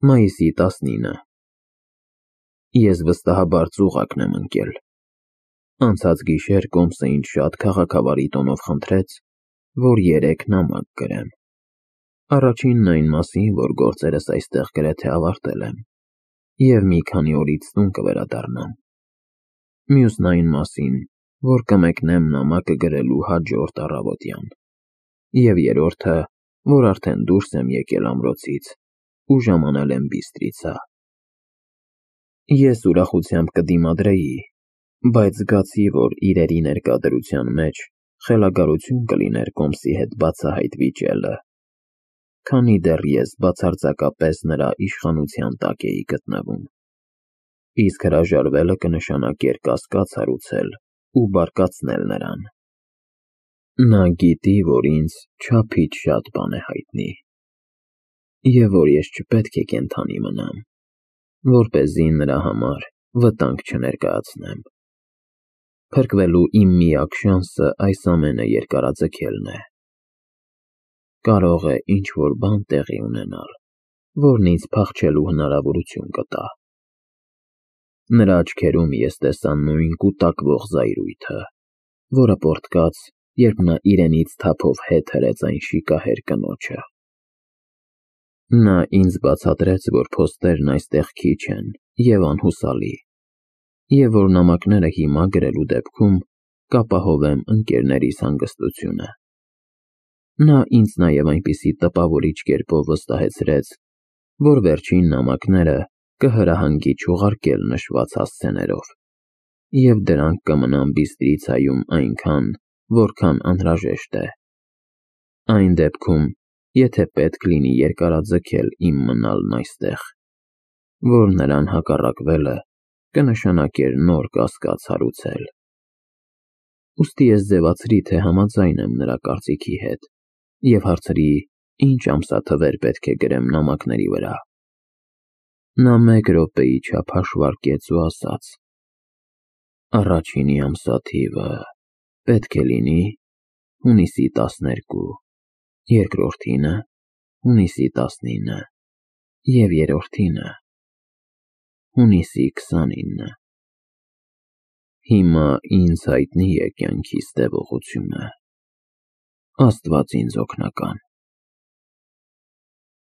Մայիսի 19-ը։ Ես վստահաբար ծուղակն եմ ընկել։ Անցած գիշեր Կոմսը ինձ շատ քաղաքավարի տոնով խնդրեց, որ 3 նամակ գրեմ։ Առաջինն այն մասին, որ գործերս այստեղ գրեթե ավարտել եմ, և մի քանի օրից տուն կվերադառնամ։ Մյուսն այն մասին, որ կմեկնեմ նամակը գրելու հաջորդ առավոտյան։ Եվ երրորդը, որ արդեն դուրս եմ եկել ամրոցից ու ժամանել եմ Բիստրիցա։ Ես ուրախությամբ կդիմադրեի, բայց զգացի, որ իրերի ներկա մեջ խելագարություն կլիներ Կոմսի հետ բացահայտ վիճելը, քանի դեռ ես բացարձակապես նրա իշխանության տակ էի գտնվում, իսկ հրաժարվելը կնշանակեր կասկած հարուցել ու բարկացնել նրան։ Նա գիտի, որ ինձ չափից շատ բան է հայտնի, և որ ես չպետք է կենդանի մնամ, որպեսզի նրա համար վտանգ չներկայացնեմ։ Փրկվելու իմ միակ շանսը այս ամենը երկարաձգելն է։ Կարող է ինչ-որ բան տեղի ունենալ, որն ինձ փախչելու հնարավորություն կտա։ Նրա աչքերում ես տեսա նույն կուտակվող զայրույթը, որը պոռթկաց, երբ նա իրենից թափով հետ հրեց այն շիկահեր կնոջը։ Նա ինձ բացատրեց, որ փոստերն այստեղ քիչ են և անհուսալի, և որ նամակները հիմա գրելու դեպքում կապահովեմ ընկերներիս հանգստությունը։ Նա ինձ նաև այնպիսի տպավորիչ կերպով վստահեցրեց, որ վերջին նամակները կհրահանգի չուղարկել նշված հասցեներով, և դրանք կմնան Բիստրիցայում այնքան, որքան անհրաժեշտ է։ Այն դեպքում, եթե պետք լինի երկարաձգել իմ մնալն այստեղ, որ նրան հակառակվելը կնշանակեր նոր կասկած հարուցել։ Ուստի ես ձևացրի, թե համաձայն եմ նրա կարծիքի հետ և հարցրի, ինչ ամսաթվեր պետք է գրեմ նամակների վրա։ Նա 1 րոպեի չափ հաշվարկեց ու ասաց. Առաջինի ամսաթիվը պետք է լինի հունիսի 12, երկրորդինը՝ հունիսի 19 և երրորդինը՝ հունիսի 29։ Հիմա ինձ հայտնի է կյանքիս տևողությունը։ Աստված ինձ օգնական։